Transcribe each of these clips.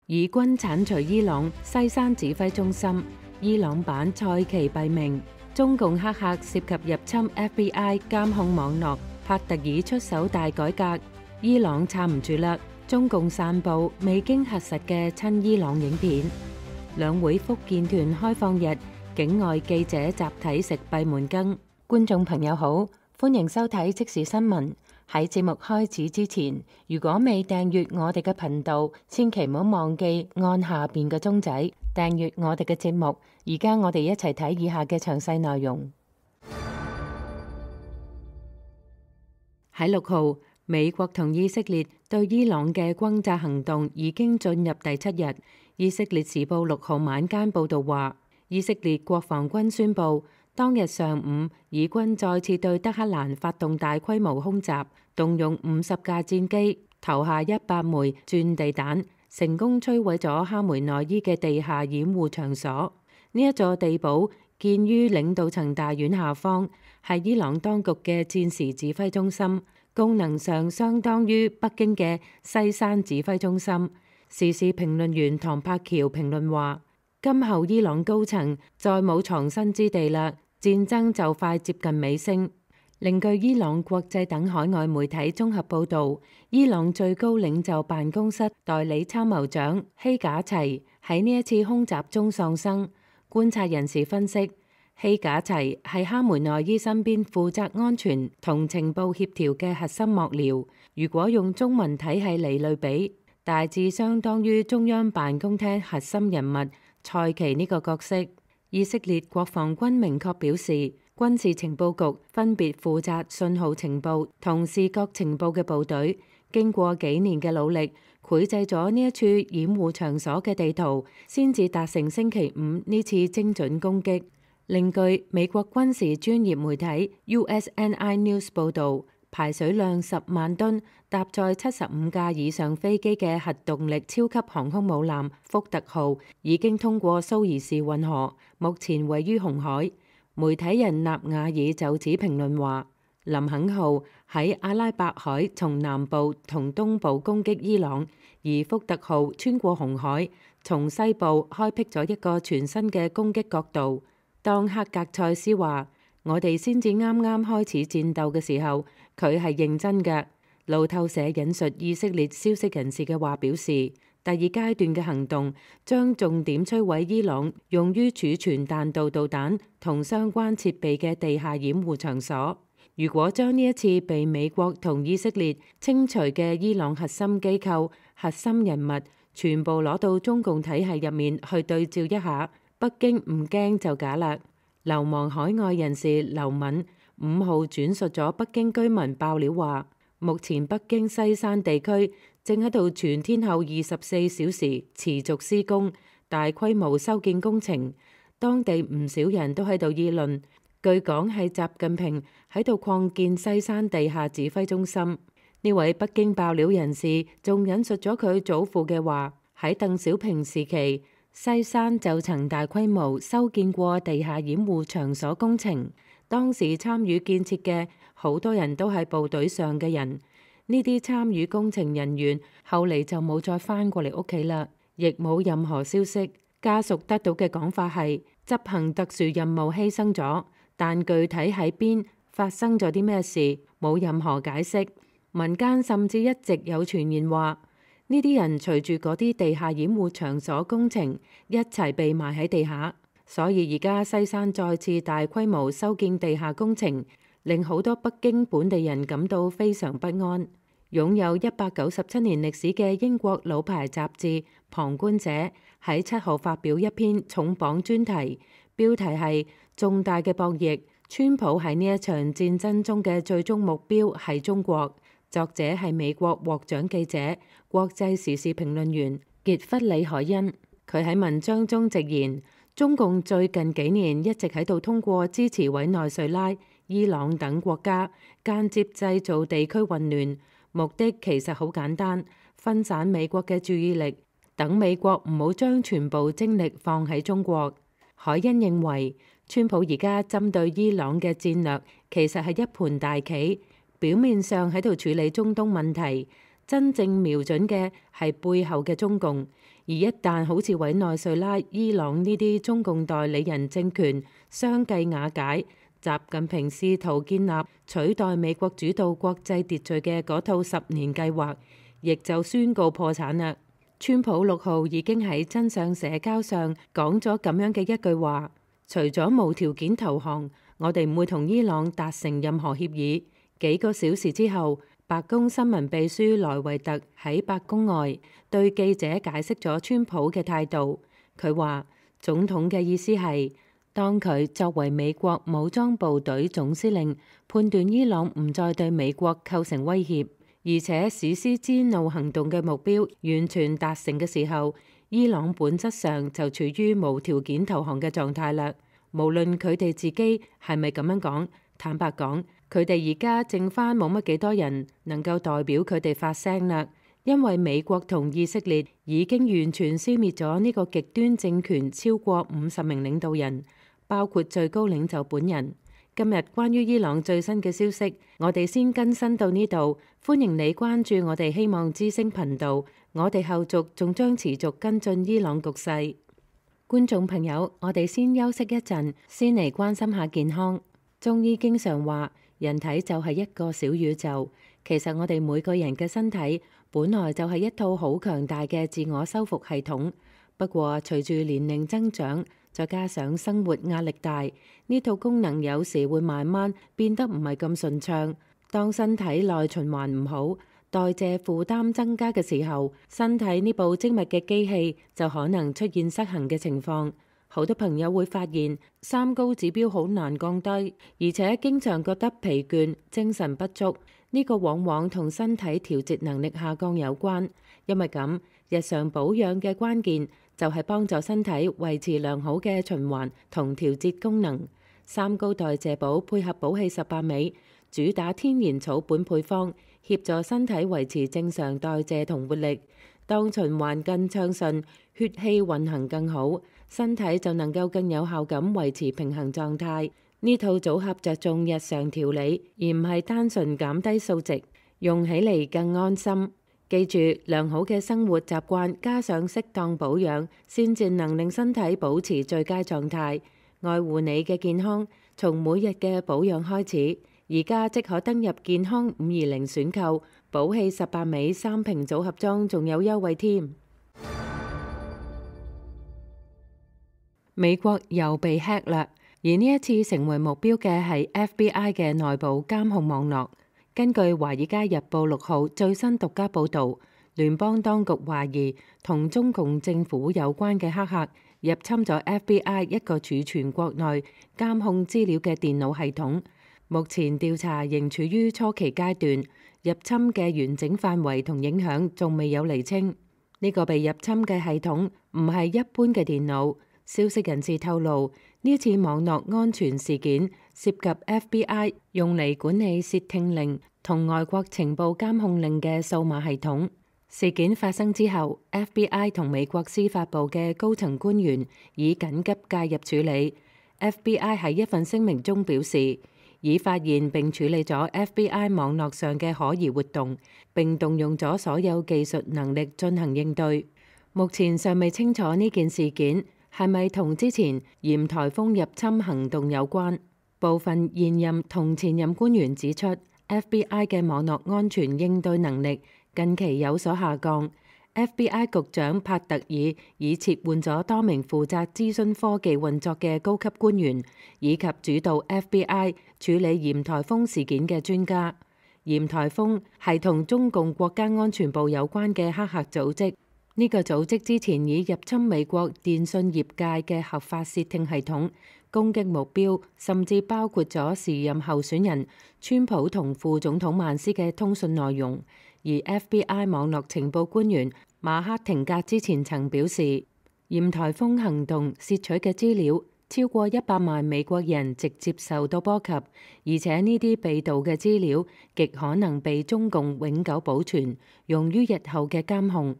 以軍剷除伊朗西山指揮中心，伊朗版賽奇斃命。中共黑客涉及入侵 FBI 監控網絡，帕特爾出手大改革，伊朗撐唔住啦。中共散布未經核實嘅親伊朗影片。兩會福建團開放日，境外記者集體食閉門羹。觀眾朋友好，歡迎收睇即時新聞。喺節目開始之前，如果未訂閱我哋嘅頻道，千祈唔好忘記按下邊嘅鐘仔訂閱我哋嘅節目。而家我哋一齊睇以下嘅詳細內容。喺6號，美國同以色列對伊朗嘅轟炸行動已經進入第7日。以色列時報6號晚間報導話，以色列國防軍宣布，當日上午，以軍再次對德黑蘭發動大規模空襲，動用50架戰機，投下100枚鑽地彈，成功摧毀咗哈梅內伊嘅地下掩護場所。呢一座地堡建於領導層大院下方，係伊朗當局嘅戰時指揮中心，功能上相當於北京嘅西山指揮中心。時事評論員唐柏橋評論話，今後伊朗高層再冇藏身之地啦，戰爭就快接近尾聲。另據伊朗國際等海外媒體綜合報導，伊朗最高領袖辦公室代理參謀長希賈齊喺呢一次空襲中喪生。觀察人士分析，希賈齊係哈梅內伊身邊負責安全同情報協調嘅核心幕僚，如果用中文體系嚟類比，大致相當於中央辦公廳核心人物賽奇呢個角色。以色列國防軍明確表示，軍事情報局分別負責信號情報同視覺情報嘅部隊，經過幾年嘅努力，繪製咗呢一處掩護場所嘅地圖，先至達成星期五呢次精準攻擊。另據美國軍事專業媒體 USNI News 報導，排水量10萬噸、搭載75架以上飛機嘅核動力超級航空母艦福特號已經通過蘇伊士運河，目前位於紅海。媒體人納瓦爾就此評論話，林肯號喺阿拉伯海從南部同東部攻擊伊朗，而福特號穿過紅海，從西部開闢咗一個全新嘅攻擊角度。當克格塞斯話，我哋先至啱啱開始戰鬥嘅時候，佢係認真嘅。路透社引述以色列消息人士嘅話表示，第二階段嘅行動將重點摧毀伊朗用於儲存彈道導彈同相關設備嘅地下掩護場所。如果將呢一次被美國同以色列清除嘅伊朗核心機構、核心人物全部攞到中共體系入面去對照一下，北京唔驚就假啦。流亡海外人士劉敏5號轉述咗北京居民爆料話，目前北京西山地區正喺度全天候24小時持續施工大規模修建工程，當地唔少人都喺度議論，據講係習近平喺度擴建西山地下指揮中心。呢位北京爆料人士仲引述咗佢祖父嘅話，喺鄧小平時期，西山就曾大規模修建過地下掩護場所工程，當時參與建設嘅好多人都係部隊上嘅人，呢啲參與工程人員後嚟就冇再返過嚟屋企啦，亦冇任何消息。家屬得到嘅講法係執行特殊任務犧牲咗，但具體喺邊發生咗啲咩事冇任何解釋。民間甚至一直有傳言話，呢啲人隨住嗰啲地下掩護場所工程一齊被埋喺地下，所以而家西山再次大規模修建地下工程，令好多北京本地人感到非常不安。擁有197年歷史嘅英國老牌雜誌《旁觀者》喺7號發表一篇重磅專題，標題係重大嘅博弈，川普喺呢一場戰爭中嘅最終目標係中國。作者係美國獲獎記者、國際時事評論員傑弗里海恩。佢喺文章中直言，中共最近幾年一直喺度通過支持委內瑞拉、伊朗等國家，間接製造地區混亂，目的其實好簡單，分散美國嘅注意力，等美國唔好將全部精力放喺中國。海恩認為，川普而家針對伊朗嘅戰略其實係一盤大棋。表面上喺度處理中東問題，真正瞄準嘅係背後嘅中共，而一旦好似委內瑞拉、伊朗呢啲中共代理人政權相繼瓦解，習近平試圖建立取代美國主導國際秩序嘅嗰套10年計劃，亦就宣告破產啦。川普6號已經喺真相社交上講咗咁樣嘅一句話：除咗無條件投降，我哋唔會同伊朗達成任何協議。幾個小時之後，白宮新聞秘書萊維特喺白宮外對記者解釋咗川普嘅態度。佢話總統嘅意思係，當佢作為美國武裝部隊總司令，判斷伊朗唔再對美國構成威脅，而且史詩之怒行動嘅目標完全達成嘅時候，伊朗本質上就處於無條件投降嘅狀態啦。無論佢哋自己係咪咁樣講，坦白講，佢哋而家剩返冇乜幾多人能夠代表佢哋發聲啦，因為美國同以色列已經完全消滅咗呢個極端政權超過50名領導人，包括最高領袖本人。今日關於伊朗最新嘅消息，我哋先更新到呢度。歡迎你關注我哋希望之聲頻道，我哋後續仲將持續跟進伊朗局勢。觀眾朋友，我哋先休息一陣，先嚟關心下健康。中醫經常話，人體就係一個小宇宙。其實我哋每個人嘅身體本來就係一套好強大嘅自我修復系統。不過隨住年齡增長，再加上生活壓力大，呢套功能有時會慢慢變得唔係咁順暢。當身體內循環唔好，代謝負擔增加嘅時候，身體呢部精密嘅機器就可能出現失衡嘅情況。好多朋友會發現三高指標好難降低，而且經常覺得疲倦、精神不足。呢個往往同身體調節能力下降有關。因為咁，日常保養嘅關鍵就係幫助身體維持良好嘅循環同調節功能。三高代謝寶配合寶氣18味，主打天然草本配方，協助身體維持正常代謝同活力。當循環更暢順，血氣運行更好，身體就能夠更有效咁維持平衡狀態。呢套組合着重日常調理，而唔係單純減低數值，用起嚟更安心。記住，良好嘅生活習慣加上適當保養，先至能令身體保持最佳狀態。愛護你嘅健康，從每日嘅保養開始。而家即可登入健康520選購，寶氣18味3瓶組合裝，仲有優惠添。美國又被 hack 啦，而呢一次成為目標嘅係 FBI 嘅內部監控網絡。根據《華爾街日報》6號最新獨家報導，聯邦當局懷疑同中共政府有關嘅黑客入侵咗 FBI 一個儲存國內監控資料嘅電腦系統。目前調查仍處於初期階段，入侵嘅完整範圍同影響仲未有釐清。呢個被入侵嘅系統唔係一般嘅電腦。消息人士透露，呢次網絡安全事件涉及 FBI 用嚟管理竊聽令同外國情報監控令嘅數碼系統。事件發生之後， FBI 同美國司法部嘅高層官員已緊急介入處理。FBI 喺一份聲明中表示，已發現並處理咗 FBI 網絡上嘅可疑活動，並動用咗所有技術能力進行應對。目前尚未清楚呢件事件係咪同之前鹽颱風入侵行動有關。部分現任同前任官員指出， FBI 嘅網絡安全應對能力近期有所下降。FBI 局長帕特爾已撤換咗多名負責資訊科技運作嘅高級官員，以及主導 FBI 處理鹽颱風事件嘅專家。鹽颱風係同中共國家安全部有關嘅黑客組織。呢個組織之前已入侵美國電信業界嘅合法竊聽系統，攻擊目標甚至包括咗時任候選人川普同副總統曼斯嘅通訊內容。而 FBI 網絡情報官員馬克廷格之前曾表示，鹽颱風行動竊取嘅資料超過100萬美國人直接受到波及，而且呢啲被盜嘅資料極可能被中共永久保存，用於日後嘅監控。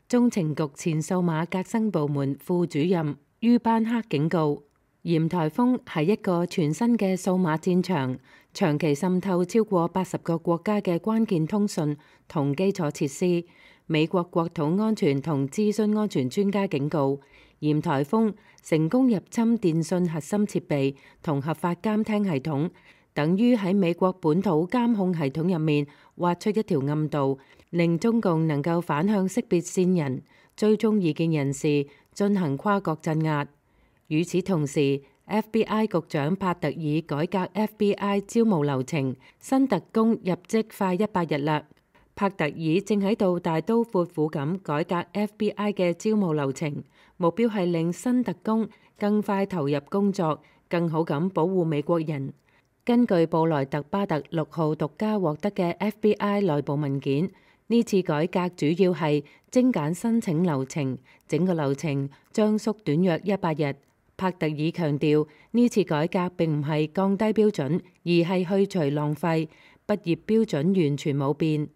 中情局前數碼革新部門副主任于班克警告，鹽颱風係一個全新嘅數碼戰場，長期滲透超過80個國家嘅關鍵通訊同基礎設施。美國國土安全同資訊安全專家警告，嫌颱風成功入侵電信核心設備同合法監聽系統，等於喺美國本土監控系統入面挖出一條暗道，令中共能夠反向識別線人、追蹤異見人士，進行跨國鎮壓。與此同時，FBI 局長帕特爾改革 FBI 招募流程，新特工入職快100日啦。帕特爾正喺度大刀闊斧咁改革 FBI 嘅招募流程，目標係令新特工更快投入工作，更好咁保護美國人。根據布萊特巴特6號獨家獲得嘅 FBI 內部文件，呢次改革主要係精簡申請流程，整個流程將縮短約100日。帕特爾強調，呢次改革並唔係降低標準，而係去除浪費，畢業標準完全冇變。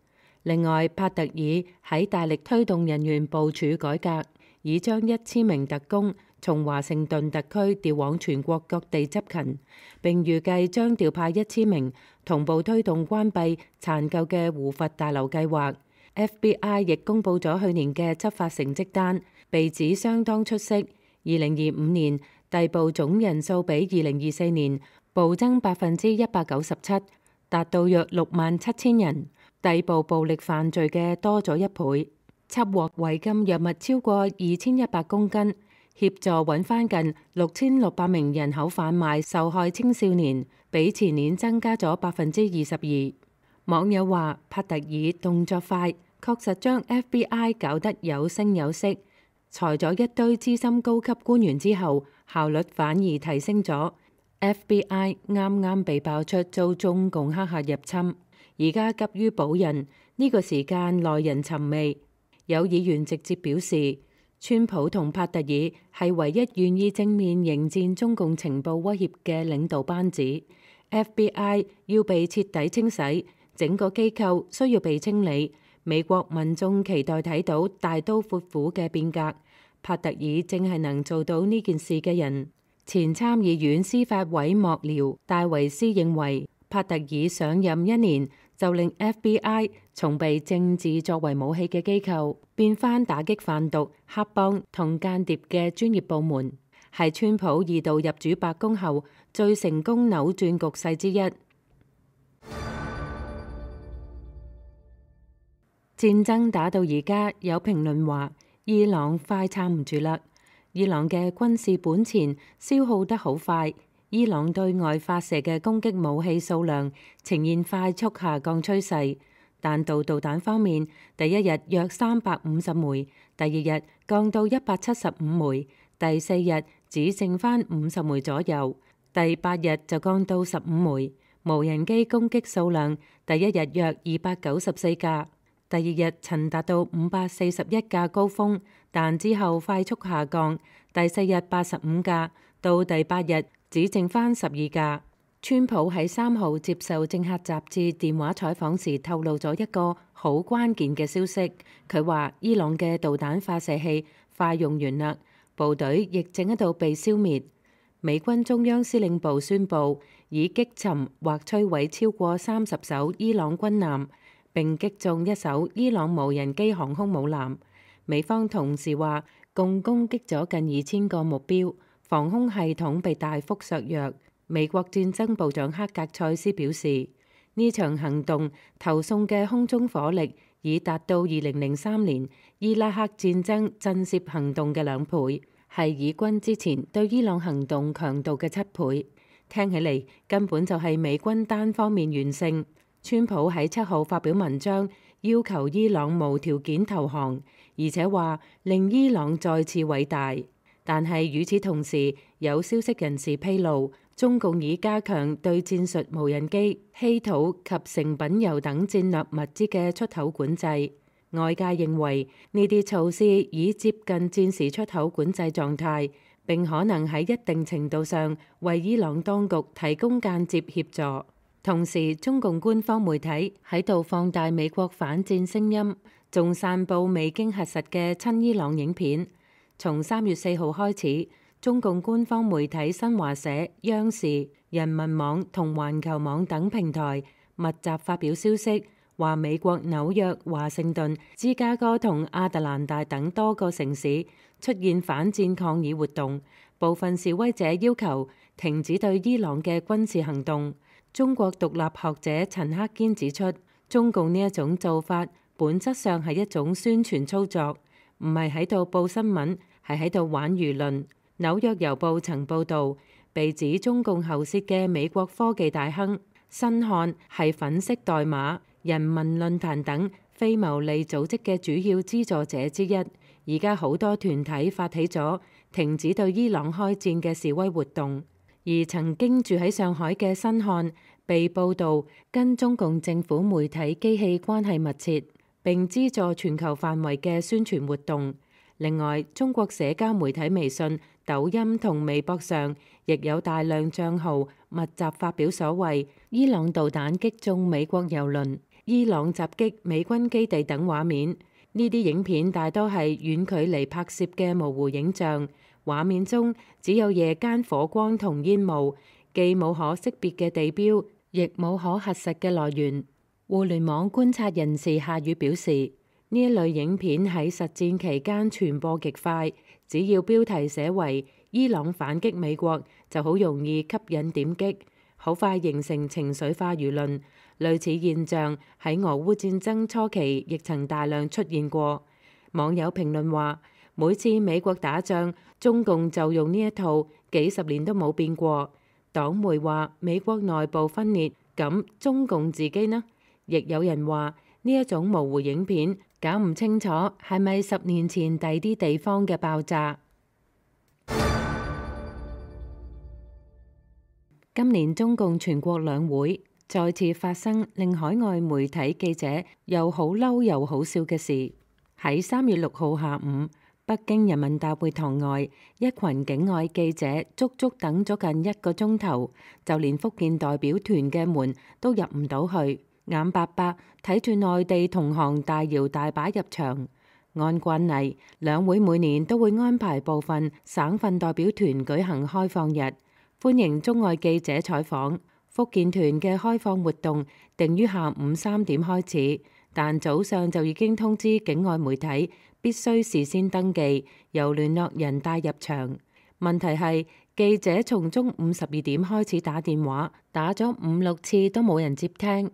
另外，帕特爾喺大力推動人員部署改革，已將1000名特工從華盛頓特區調往全國各地執勤，並預計將調派1000名同步推動關閉殘舊嘅胡佛大樓計劃。FBI 亦公佈咗去年嘅執法成績單，被指相當出色。2025年逮捕總人數比2024年暴增197%，達到約67000人。逮捕暴力犯罪嘅多咗1倍，緝獲違禁藥物超過2100公斤，協助揾翻近6600名人口販賣受害青少年，比前年增加咗22%。網友話：帕特爾動作快，確實將 FBI 搞得有聲有色。裁咗一堆資深高級官員之後，效率反而提升咗。FBI 啱啱被爆出遭中共黑客入侵，而家急於保人，呢個時間耐人尋味。有議員直接表示，川普同帕特爾係唯一願意正面迎戰中共情報威脅嘅領導班子。FBI 要被徹底清洗，整個機構需要被清理。美國民眾期待睇到大刀闊斧嘅變革。帕特爾正係能做到呢件事嘅人。前參議院司法委幕僚戴維斯認為，帕特爾上任1年就令 FBI 從被政治作為武器嘅機構變返打擊販毒、黑幫同間諜嘅專業部門，係川普2度入主白宮後最成功扭轉局勢之一。戰爭打到而家，有評論話伊朗快撐唔住啦。伊朗嘅軍事本錢消耗得好快，伊朗對外發射嘅攻擊武器數量呈現快速下降趨勢。彈道導彈方面，第一日約350枚，第二日降到175枚，第4日只剩返50枚左右，第8日就降到15枚。無人機攻擊數量，第一日約294架。第二日曾達到541架高峰，但之後快速下降。第4日85架，到第8日只剩返12架。川普喺3號接受政客雜誌電話採訪時透露咗一個好關鍵嘅消息，佢話伊朗嘅導彈發射器快用完啦，部隊亦正喺度被消滅。美軍中央司令部宣布已擊沉或摧毀超過30艘伊朗軍艦，並擊中1艘伊朗無人機航空母艦。美方同時話，共攻擊咗近2000個目標，防空系統被大幅削弱。美國戰爭部長克格塞斯表示，呢場行動投送嘅空中火力已達到2003年伊拉克戰爭震懾行動嘅2倍，係以軍之前對伊朗行動強度嘅7倍。聽起嚟根本就係美軍單方面完勝。川普喺7號發表文章，要求伊朗無條件投降，而且話令伊朗再次偉大。但係與此同時，有消息人士披露，中共已加強對戰術無人機、稀土及成品油等戰略物資嘅出口管制。外界認為呢啲措施已接近戰時出口管制狀態，並可能喺一定程度上為伊朗當局提供間接協助。同時，中共官方媒體喺度放大美國反戰聲音，仲散佈未經核實嘅親伊朗影片。從3月4號開始，中共官方媒體新華社、央視、人民網同環球網等平台密集發表消息，話美國紐約、華盛頓、芝加哥同亞特蘭大等多個城市出現反戰抗議活動，部分示威者要求停止對伊朗嘅軍事行動。中國獨立學者陳克堅指出，中共呢一種做法本質上係一種宣傳操作，唔係喺度報新聞，係喺度玩輿論。紐約郵報曾報導，被指中共喉舌嘅美國科技大亨辛漢係粉飾代碼、人民論壇等非牟利組織嘅主要資助者之一。而家好多團體發起咗停止對伊朗開戰嘅示威活動，而曾經住喺上海嘅辛漢被報導跟中共政府媒體機器關係密切，並資助全球範圍嘅宣傳活動。另外，中國社交媒體微信、抖音同微博上亦有大量帳號密集發表所謂伊朗導彈擊中美國郵輪、伊朗襲擊美軍基地等畫面。呢啲影片大多係遠距離拍攝嘅模糊影像，畫面中只有夜間火光同煙霧，既冇可識別嘅地標，亦冇可核實嘅來源。互聯網觀察人士夏宇表示，呢一類影片喺實戰期間傳播極快，只要標題寫為伊朗反擊美國，就好容易吸引點擊，好快形成情緒化輿論。類似現象喺俄烏戰爭初期亦曾大量出現過。網友評論話，每次美國打仗，中共就用呢一套，幾十年都冇變過。黨媒話美國內部分裂，咁中共自己呢？亦有人話呢一種模糊影片搞唔清楚係咪10年前第啲地方嘅爆炸。今年中共全國兩會再次發生令海外媒體記者又好嬲又好笑嘅事。喺3月6號下午，北京人民大會堂外，一群境外記者足足等咗近1個鐘頭，就連福建代表團嘅門都入唔到去，眼白白睇住內地同行大搖大擺入場。按慣例，兩會每年都會安排部分省份代表團舉行開放日，歡迎中外記者採訪。福建團嘅開放活動定於下午3點開始，但早上就已經通知境外媒體必須事先登記，由聯絡人帶入場。問題係記者從中午12點開始打電話，打咗5、6次都冇人接聽。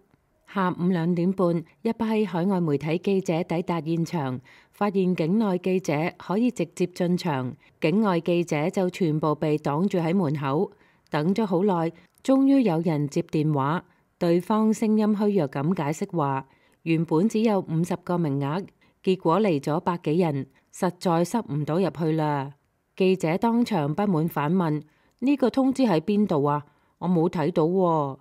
下午2點半，一批海外媒體記者抵達現場，發現境內記者可以直接進場，境外記者就全部被擋住喺門口。等咗好耐，終於有人接電話，對方聲音虛弱咁解釋話，原本只有50個名額，結果嚟咗100幾人，實在塞唔到入去啦。記者當場不滿反問：呢個通知喺邊度啊？我冇睇到喎。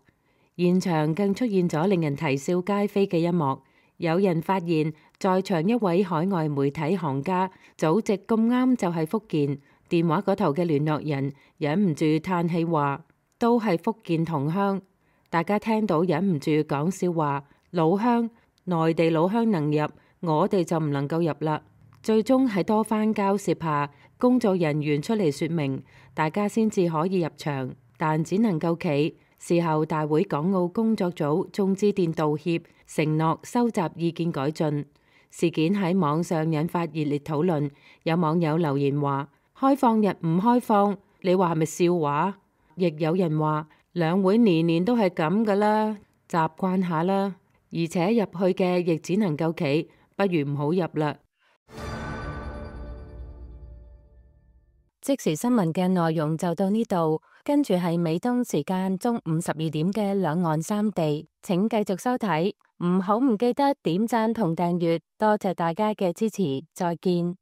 現場更出現咗令人啼笑皆非嘅一幕，有人發現在場一位海外媒體行家祖籍咁啱就係福建，電話嗰頭嘅聯絡人忍唔住嘆氣話，都係福建同鄉。大家聽到忍唔住講笑話，老鄉，內地老鄉能入，我哋就唔能夠入啦。最終喺多番交涉下，工作人員出嚟說明，大家先至可以入場，但只能夠企。事後大會港澳工作組仲致電道歉，承諾收集意見改進。事件喺網上引發熱烈討論，有網友留言話：開放日唔開放，你話係咪笑話？亦有人話兩會年年都係咁噶啦，習慣下啦。而且入去嘅亦只能夠企，不如唔好入啦。即時新聞嘅內容就到呢度，跟住係美東時間中午12點嘅兩岸三地，請繼續收睇，唔好唔記得點讚同訂閱，多謝大家嘅支持，再見。